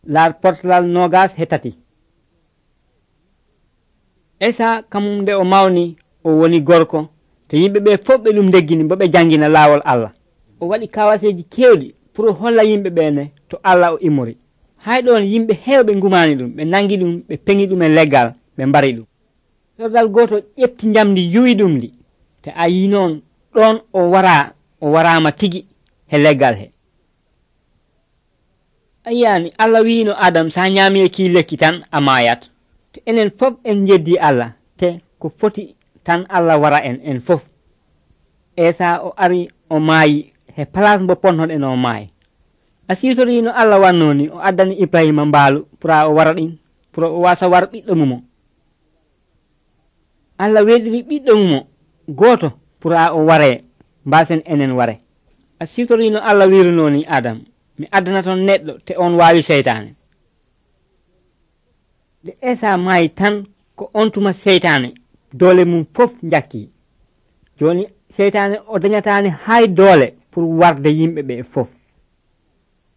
laar portalal nogas he tati. Esa kamum nde o mawni o woni gorko to yimɓe ɓe fof ɓe ɗum deggini bo ɓe jangina laawol Allah. O waɗi kawaseji kewɗi pour holla yimɓe ɓene to Allah o immori. Hay ɗon yimɓe heewɓe ngumani ɗum, ɓe nangi ɗum, ɓe peŋi ɗum e leggal, ɓe mbari ɗum. Sordal goto ƴefti njamdi yuwi ɗum ndi, te a yi noon ɗon o warama tigi he leggal he. A yiyani Allah wino Adam sa ñaami e ki lekki tan a mayat. Te enen fof en jeddi Allah, te ko foti tan Allah wara en fof. Esa o ari o maayi he place mbo ponnoɗen o maayi. A sitori no Allah wannoni o addani Ibrahima mbaalu pour o wara ɗin, pour o wasa war ɓiɗɗo mumo. Allah weɗiri ɓiɗɗo mumo goto pour o ware mbasen enen ware. A sitori no Allah wirnoni Adam, mi addana ton neɗɗo te on wawi seytane. De Esa maayi tan ko on tuma seytane doole mum fof jakki. Joni seytane o dañatani hay doole pour warde yimɓe ɓe fof.